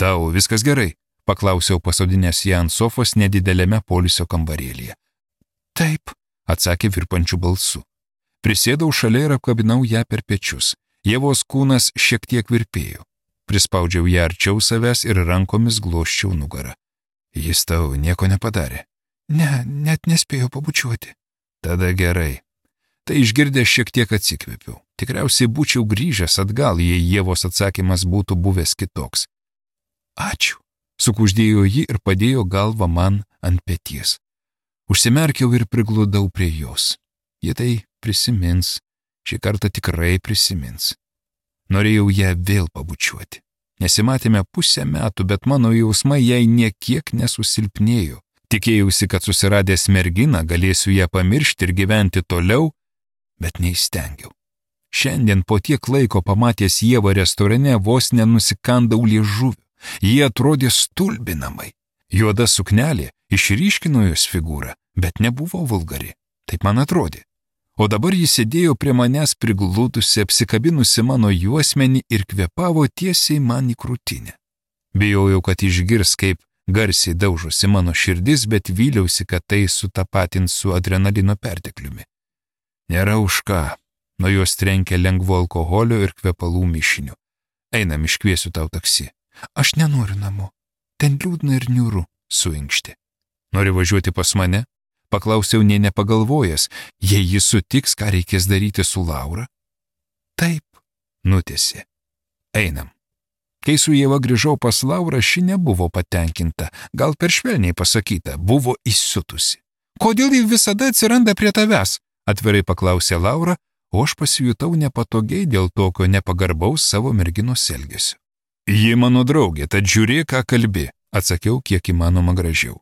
Tau viskas gerai? Paklausiau pasodinęs ją ant sofos nedidelėme polisio kambarėlyje. Taip, atsakė virpančių balsu. Prisėdau šalia ir apkabinau ją per pečius. Ievos kūnas šiek tiek virpėjo. Prispaudžiau ją arčiau savęs ir rankomis glosčiau nugarą. Jis tau nieko nepadarė? Ne, net nespėjau pabučiuoti. Tada gerai. Tai išgirdęs šiek tiek atsikvėpiau. Tikriausiai būčiau grįžęs atgal, jei Ievos atsakymas būtų buvęs kitoks. Ačiū. Sukuždėjo ji ir padėjo galvą man ant peties. Užsimerkiau ir prigludau prie jos. Ji tai prisimins. Šį kartą tikrai prisimins. Norėjau ją vėl pabučiuoti. Nesimatėme pusę metų, bet mano jausmai jai niekiek nesusilpnėjo. Tikėjausi, kad susiradęs merginą galėsiu ją pamiršti ir gyventi toliau, bet neįstengiau. Šiandien po tiek laiko pamatęs Ievą restorane vos nenusikandau liežuviu. Jie atrodė stulbinamai. Juoda suknelė išryškino jos figūrą, bet nebuvo vulgari. Taip man atrodė. O dabar jis sėdėjo prie manęs prigludusi, apsikabinusi mano juosmenį ir kvėpavo tiesiai man į krūtinę. Bijojau, kad išgirs, kaip garsiai daužosi mano širdis, bet vyliausi, kad tai sutapatins su adrenalino pertekliumi. Nėra už ką. Nuo jos trenkė lengvo alkoholio ir kvepalų mišiniu. Einam, iškviesiu tau taksi. Aš nenoriu namo. Ten liūdna ir niūru, suinkštė. Nori važiuoti pas mane? Paklausiau nė nepagalvojęs, jei jis sutiks, ką reikės daryti su Laura. Taip, nutęsė. Einam. Kai su Ieva grįžau pas Laurą, ši nebuvo patenkinta, gal per švelniai pasakyta, buvo įsiutusi. Kodėl ji visada atsiranda prie tavęs? Atvirai paklausė Laura, o aš pasijutau nepatogiai dėl tokio nepagarbaus savo merginos elgesio. Ji mano draugė, tad žiūrėk, ką kalbi, atsakiau kiek įmanoma gražiau.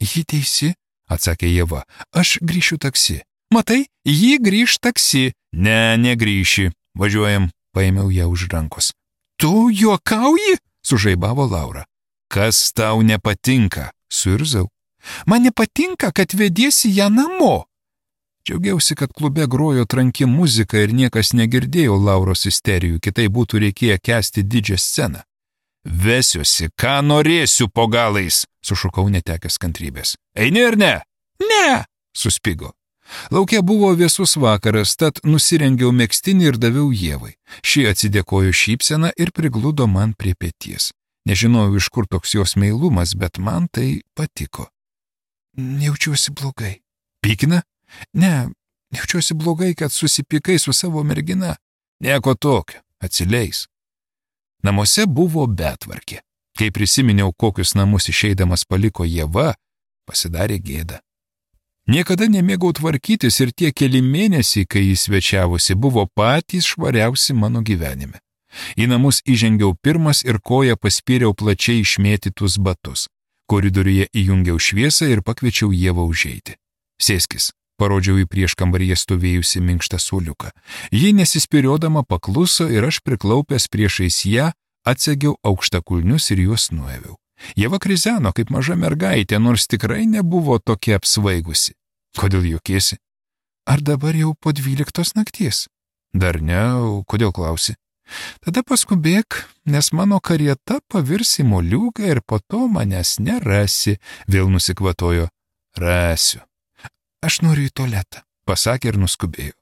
Ji teisi, atsakė Ieva, aš grįšiu taksi. Matai, ji grįš taksi. Ne, negrįši, važiuojam, paėmiau ją už rankos. Tu juokauji? Sužaibavo Laura. Kas tau nepatinka? Suirzau. Man nepatinka, kad vediesi ją namo. Džiaugiausi, kad klube grojo tranki muzika ir niekas negirdėjo Lauros isterijų, kitai būtų reikėję kęsti didžią sceną. Vesiuosi, ką norėsiu po galais, sušukau netekęs kantrybės. Eini ar ne? Ne, suspigo. Lauke buvo vėsus vakaras, tad nusirengiau megztinį ir daviau Ievai. Ši atsidėkojo šypseną ir prigludo man prie peties. Nežinojau, iš kur toks jos meilumas, bet man tai patiko. Jaučiuosi blogai. Pykina? Ne, jaučiuosi blogai, kad susipykai su savo mergina. Nieko tokio, atsileis. Namuose buvo betvarkė. Kai prisiminiau, kokius namus išeidamas paliko Ieva, pasidarė gėda. Niekada nemėgau tvarkytis ir tie keli mėnesiai, kai jis svečiavosi, buvo patys švariausi mano gyvenime. Į namus įžengiau pirmas ir koją paspyriau plačiai išmėtytus batus. Koridoriuje įjungiau šviesą ir pakviečiau Ievą užeiti. Sėskis, parodžiau į prieškambaryje stovėjusi minkštą suoliuką. Ji nesispiriodama pakluso ir aš priklaupęs priešais ją atsegiau aukštakulnius ir juos nuėviau. Ieva krizeno kaip maža mergaitė, nors tikrai nebuvo tokia apsvaigusi. Kodėl juokiesi? Ar dabar jau po 12 nakties? Dar ne, kodėl klausi? Tada paskubėk, nes mano karieta pavirs į moliūgą ir po to manęs nerasi, vėl nusikvatojo. Rasiu. Aš noriu į tualetą, pasakė ir nuskubėjo.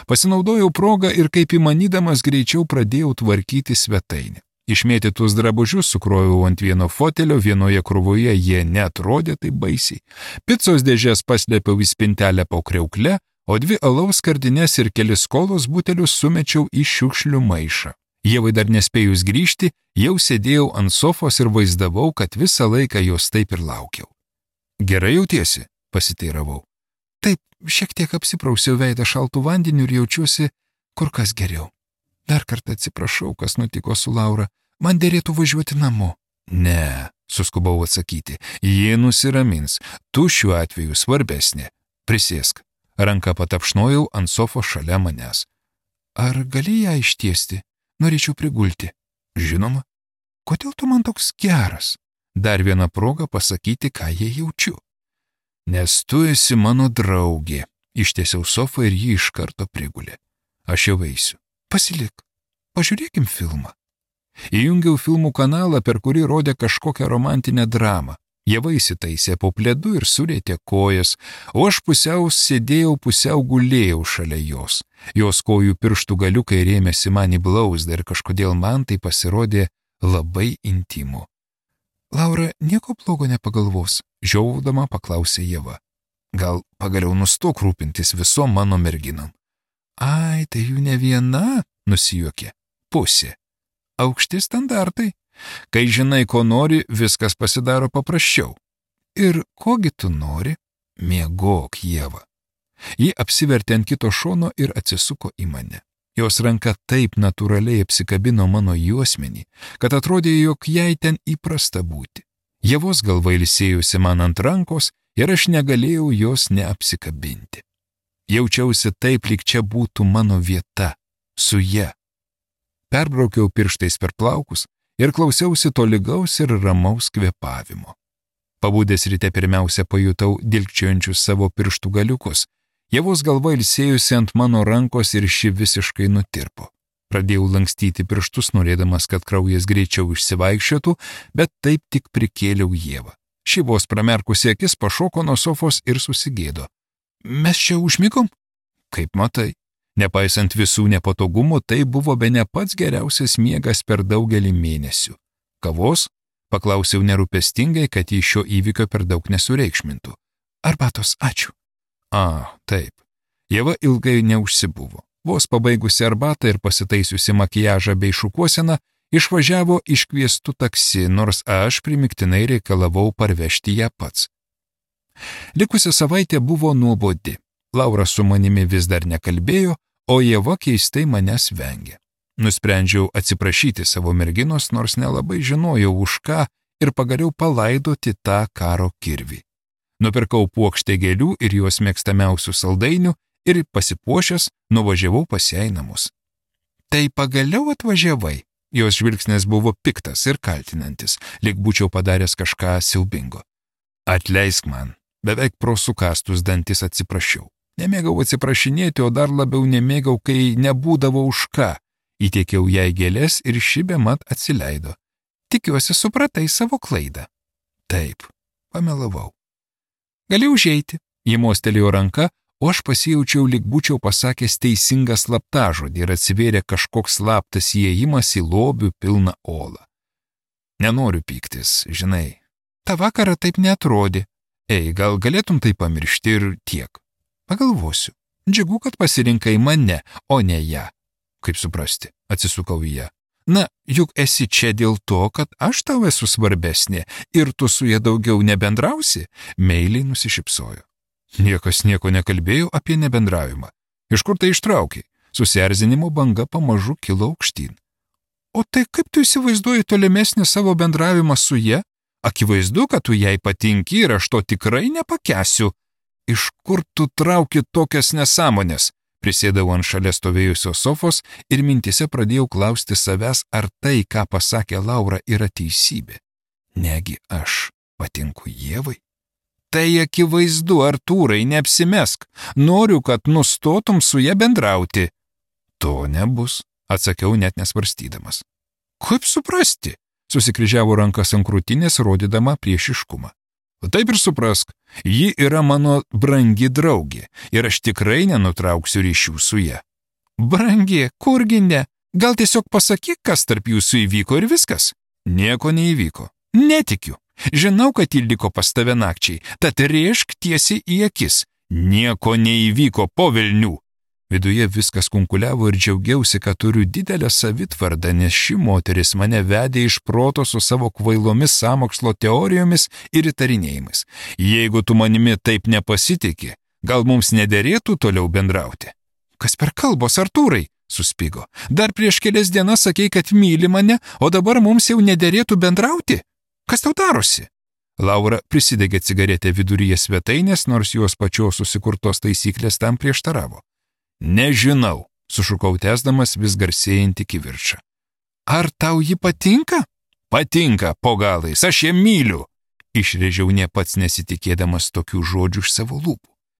Pasinaudojau progą ir kaip įmanydamas greičiau pradėjau tvarkyti svetainę. Išmėtytus drabužius sukroviau ant vieno fotelio, vienoje krūvoje jie neatrodė taip baisiai. Picos dėžės paslėpiau į spintelę po kriaukle, o 2 alaus skardines ir kelis kolos butelius sumečiau į šiukšlių maišą. Ievai dar nespėjus grįžti, jau sėdėjau ant sofos ir vaizdavau, kad visą laiką jos taip ir laukiau. Gerai jautiesi? Pasiteiravau. Taip, šiek tiek apsiprausiau veidą šaltų vandeniu ir jaučiuosi kur kas geriau. Dar kartą atsiprašau, kas nutiko su Laura. Man dėrėtų važiuoti namo. Ne, suskubau atsakyti. Ji nusiramins. Tu šiuo atveju svarbesnė. Prisėsk. Ranką patapšnojau ant sofos šalia manęs. Ar gali ją ištiesti? Norėčiau prigulti. Žinoma. Kodėl tu man toks geras? Dar viena proga pasakyti, ką jie jaučiu. Nes tu esi mano draugė. Ištiesiau sofą ir ji iš karto prigulė. Aš jau eisiu. Pasilik, pažiūrėkim filmą. Įjungiau filmų kanalą, per kurį rodė kažkokią romantinę dramą. Ieva įsitaisė po pledu ir surėtė kojas, o aš pusiau sėdėjau, pusiau gulėjau šalia jos. Jos kojų pirštų galiukai rėmėsi man į blauzdą ir kažkodėl man tai pasirodė labai intymu. Laura nieko blogo nepagalvos, žiaudama paklausė Ieva. Gal pagaliau nustok rūpintis visom mano merginom. Ai, tai jų ne viena, nusijuokė. Pusė. Aukšti standartai. Kai žinai, ko nori, viskas pasidaro paprasčiau. Ir kogi tu nori? Miegok, Ieva. Ji apsivertė ant kito šono ir atsisuko į mane. Jos ranka taip natūraliai apsikabino mano juosmenį, kad atrodė, jog jai ten įprasta būti. Ievos galva ilsėjusi man ant rankos ir aš negalėjau jos neapsikabinti. Jaučiausi taip, lyg čia būtų mano vieta, su ja. Perbraukiau pirštais per plaukus ir klausiausi tolygaus ir ramaus kvėpavimo. Pabudęs ryte pirmiausia pajutau dilgčiojančius savo pirštų galiukus. Ievos galva ilsėjusi ant mano rankos ir ši visiškai nutirpo. Pradėjau lankstyti pirštus, norėdamas, kad kraujas greičiau išsivaikščiotų, bet taip tik prikėliau Ievą. Ši vos pramerkusi akis pašoko nuo sofos ir susigėdo. Mes čia užmigom? Kaip matai. Nepaisant visų nepatogumų, tai buvo bene pats geriausias miegas per daugelį mėnesių. Kavos? Paklausiau nerūpestingai, kad į šio įvykio per daug nesureikšmintų. Arbatos, ačiū. Taip. Ieva ilgai neužsibuvo. Vos pabaigusi arbatą ir pasitaisiusi makiažą bei šukuoseną, išvažiavo iškviestų taksi, nors aš primiktinai reikalavau parvežti ją pats. Likusi savaitė buvo nuobodi. Laura su manimi vis dar nekalbėjo, o Ieva keistai manęs vengė. Nusprendžiau atsiprašyti savo merginos, nors nelabai žinojau už ką, ir pagaliau palaidoti tą karo kirvį. Nupirkau puokštę gėlių ir jos mėgstamiausių saldainių ir pasipuošęs nuvažiavau pas ją į namus. Tai pagaliau atvažiavai? Jos žvilgsnis buvo piktas ir kaltinantis, lyg būčiau padaręs kažką siaubingo. Atleisk man, beveik pro sukastus dantis atsiprašiau. Nemėgau atsiprašinėti, o dar labiau nemėgau, kai nebūdavo už ką. Įteikiau jai gėlės ir ši bemat atsileido. Tikiuosi, supratai savo klaidą. Taip, pamelavau. Gali užeiti. Ji mostelėjo ranka, o aš pasijaučiau, lyg būčiau pasakęs teisingą slaptažodį ir atsivėrė kažkoks slaptas įėjimas į lobių pilną olą. Nenoriu pyktis, žinai. Ta vakarą taip neatrodė. Gal galėtum tai pamiršti ir tiek. Pagalvosiu. Džiugu, kad pasirinkai mane, o ne ją. Kaip suprasti, atsisukau į ją. Na, juk esi čia dėl to, kad aš tau esu svarbesnė ir tu su ja daugiau nebendrausi, meiliai nusišypsojo. Niekas nieko nekalbėjo apie nebendravimą. Iš kur tai ištraukiai? Susierzinimo banga pamažu kilo aukštyn. O tai kaip tu įsivaizduoji tolimesnį savo bendravimą su ja? Akivaizdu, kad tu jai patinki ir aš to tikrai nepakęsiu. Iš kur tu trauki tokias nesąmonės? Prisėdau ant šalia stovėjusios sofos ir mintise pradėjau klausti savęs, ar tai, ką pasakė Laura, yra teisybė. Negi aš patinku Ievai? Tai akivaizdu, Artūrai, neapsimesk. Noriu, kad nustotum su ja bendrauti. To nebus, atsakiau net nesvarstydamas. Kaip suprasti? Susikryžiavo rankas ant krūtinės, rodydama priešiškumą. Taip ir suprask, ji yra mano brangi draugė ir aš tikrai nenutrauksiu ryšių su ja. Brangi, kurgi ne? Gal tiesiog pasakyk, kas tarp jūsų įvyko ir viskas? Nieko neįvyko. Netikiu. Žinau, kad ji liko pas tave nakčiai, tad rėžk tiesiai į akis. Nieko neįvyko, po velnių. Viduje viskas kunkuliavo ir džiaugiausi, kad turiu didelę savitvardą, nes ši moteris mane vedė iš proto su savo kvailomis sąmokslo teorijomis ir įtarinėjimais. Jeigu tu manimi taip nepasitiki, gal mums nederėtų toliau bendrauti? Kas per kalbos, Artūrai? Suspigo. Dar prieš kelias dienas sakei, kad myli mane, o dabar mums jau nederėtų bendrauti? Kas tau darosi? Laura prisidegė cigaretę viduryje svetainės, nors jos pačios susikurtos taisyklės tam prieštaravo. Nežinau, sušukau tęsdamas vis garsėjantį kivirčą. Ar tau ji patinka? Patinka, po galais, aš ją myliu. Išrėžiau ne pats nesitikėdamas tokių žodžių iš savo lūpų.